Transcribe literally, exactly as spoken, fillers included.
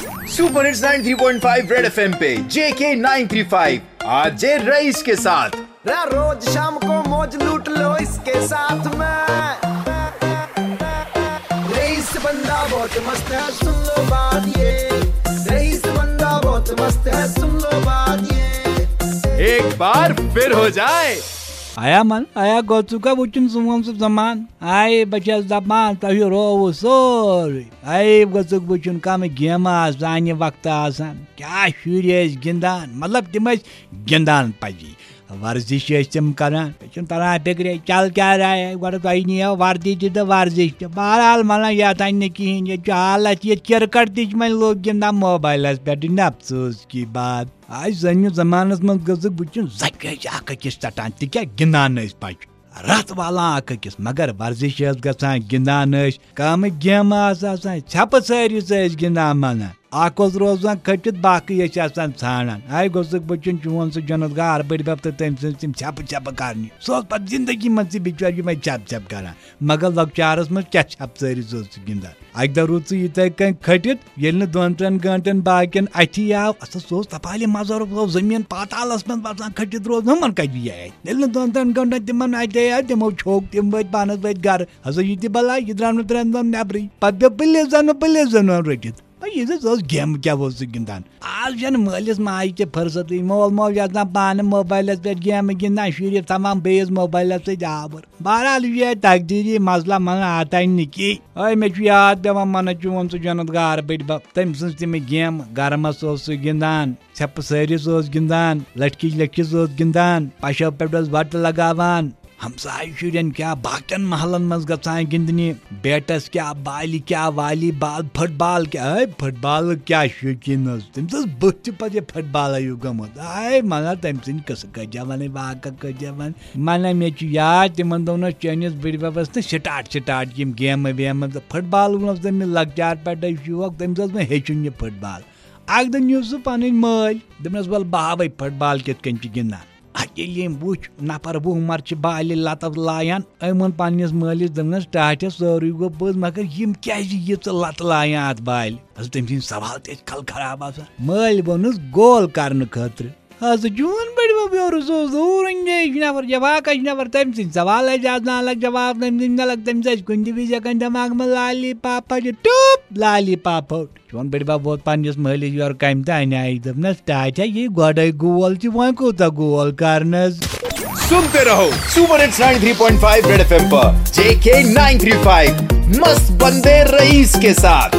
Super hits ninety three point five red FM पे JK nine three five, RJ Rais के साथ। रा रोज शाम को मौज लूट लो इसके साथ में। रईस बंदा बहुत मस्त है, सुन लो बात ये। रईस बंदा बहुत मस्त है, सुन लो बात ये। एक बार फिर हो जाए। آیا من آیا گوٚژھُکھ وٕچھُن سون سُہ زمان؟ آیے بہٕ چھَس دَپان تۄہہِ رووُ سورُے۔ آیے گوٚژھُکھ وٕچھُن کَمہٕ گیمہٕ آسہٕ سانہِ وقتہٕ آسان، کیٛاہ شُرۍ ٲسۍ گِنٛدان، مطلب تِم ٲسۍ گِنٛدان پَزی۔ ورزش ٲسۍ تِم کران، مےٚ چھُنہٕ تران فِکرے چل کیٛاہ راے آیہِ۔ گۄڈٕ تۄہہِ نِیو وردی تہِ تہٕ ورزش تہِ۔ بہرحال مطلب یَتھ اَنہِ نہٕ کِہیٖنۍ، ییٚتہِ چھُ حالت یہِ کرکٹ تہِ چھِ وۄنۍ لوٗکھ گِنٛدان موبایلَس پٮ۪ٹھ، یہِ نہٕ افسوس کی بات۔ آز زَنہِ زمانَس منٛز گٔژھٕکھ وٕچھُن زَنہِ ٲسۍ اکھ أکِس ژَٹان، تہِ کیٛاہ گِنٛدان ٲسۍ پَچہِ۔ رَتھ والان اکھ أکِس، مگر ورزش ٲس گژھان، گِنٛدان ٲسۍ، کامہٕ گیمہٕ آسہٕ آسان، ژھٮ۪پہٕ سٲری سۭتۍ ٲسۍ گِنٛدان مَنان۔ اکھ اوس روزان کھٔٹِتھ، باقٕے ٲسۍ آسان ژھانڈان۔ آے گوٚژھُکھ بہٕ چھُن چون سُہ جنت گار بٔڈۍ بب تہٕ تٔمۍ سٕنٛز تِم ژھٮ۪پہٕ ژھٮ۪پہٕ کرنہِ۔ سُہ اوس پتہٕ زندگی منٛز تہِ بِچور یِمے ژھٮ۪پہٕ ژھٮ۪پہٕ کران۔ مگر لۄکچارس منٛز کیٛاہ ژھٮ۪پہٕ ژٲرِس اوس سُہ گِنٛدان؟ اکہِ دۄہ روٗد سُہ یِتھے کٔنۍ کھٔٹِتھ، ییٚلہِ نہٕ دۄن ترٛٮ۪ن گٲنٛٹن باقین اتھی آو، اَتھ سُہ اوس تپالہِ مزارُک، سُہ اوس زٔمیٖن پاتالس منٛز بسان کھٔٹِتھ روزُن، ہُمن کتہِ یی اتھِ؟ ییٚلہِ نہٕ دۄن ترٛٮ۪ن گٲنٛٹن تِمن اتھِ آے، تِمو چھوٚک، تِم وٲتۍ پانس وٲتۍ گرٕ۔ ہسا یہِ تہِ بلاے، یہِ درٛاو نہٕ ترٛٮ۪ن دۄہن نٮ۪برٕے۔ پتہٕ پیوٚو پُلیٖسن، پُلیٖسن اوٚن رٔٹِتھ۔ یہِ زِ ٲس گیمہٕ کیٛاہ اوس سُہ گِنٛدان۔ آز چھَنہٕ مٲلِس ماجہِ تہِ فرصتٕے۔ مول موج آسان پانہٕ موبایلَس پٮ۪ٹھ گیمہٕ گِنٛدان، شُرِس تھاوان بیٚیِس موبایلَس سۭتۍ آوُر۔ بہرحال، یہِ چھُ یہِ تقدیٖری مسلہٕ، مَنہٕ آتاے نہٕ کینٛہہ۔ أے، مےٚ چھُ یاد پٮ۪وان، مَنہٕ چون سُہ جنت گار بٔڈۍ بَب۔ تٔمۍ سٕنٛز تِمہٕ گیمہٕ، گرمَس اوس سُہ گِنٛدان، ژھٮ۪پہٕ سٲرِس اوس گِنٛدان، لٔٹھکِچ لٔٹھِس اوس گِنٛدان، پَشو پٮ۪ٹھ اوس وَٹہٕ لگاوان۔ ہمسایہِ شُرٮ۪ن کیٛاہ، باقین محلن منٛز گژھان گِنٛدنہِ، بیٹس کیٛاہ، بالہِ کیٛاہ، والی بال، فٹ بال کیٛاہ۔ ہے، فٹ بال کیٛاہ شوقیٖن اوس، تٔمِس ٲس بٔتھِ تہِ پتہٕ یہِ فٹ بال ہیوٗ گٔمٕژ۔ ہے، مگر تٔمۍ سٕنٛدۍ قٕصہٕ کٔرۍ زٮ۪و وَنٕنۍ، واقعہ کٔرۍ زٮ۪و وَنٕنۍ۔ مَنہ مےٚ چھُ یاد، تِمن دۄہن اوس چٲنِس بٕڈِ بَبس نہٕ سٹاٹ سٹاٹ یِم گیمہٕ ویمہٕ، تہٕ فٹ بال اوس تٔمِس لۄکچار پٮ۪ٹھے شوق، تٔمِس اوس وۄنۍ ہیٚچھُن یہِ فٹ بال۔ اکھ دۄہ نیوٗ سُہ پنٕنۍ مٲلۍ، دوٚپنس، "وَلہٕ بہٕ ہاوے فٹ بال کِتھ کٔنۍ چھِ گِنٛدان۔" اَتھ ییٚلہِ ییٚمۍ وُچھ، نفر وُہ مر چھِ بالہِ لتہٕ لایان، أمۍ ووٚن پننِس مٲلِس، دوٚپنس، "ٹاٹھس، سورُے گوٚو پوٚز، مگر یِم کیازِ ییٖژٕ لتہٕ لایان اتھ بالہِ؟" حضرت تٔمۍ سٕنٛدۍ سوال تہِ ٲسۍ کل خراب آسان۔ مٲلۍ ووٚنُس، "گول کرنہٕ خٲطرٕ۔" حضرت چون بٔڈِ بب یورٕ، سُہ اوس دوٗر انجٲیِش نفر، جواکش نفر، تٔمۍ سٕنٛدۍ سوال ٲسۍ آسان الگ، جواب تٔمۍ سٕنٛدۍ الگ، تٔمِس ٲسۍ کُنہِ تہِ وِزِ ہٮ۪کان دٮ۪ماغہٕ منٛز لالی پاپا چھِ ٹوپ، لالی پاپا۔ چون بٔڈِ بب ووت پننِس مٲلِس یورٕ کمہِ تہِ انہِ آیہِ، دوٚپنس، "ٹاٹھا، یہِ گۄڈے گول چھِ، وۄنۍ کوٗتاہ گول کرنس؟" सुनते रहो super hits ninety three point five red FM पर जेके नाइन थ्री फ़ाइव, मस्त बंदे रईस के साथ।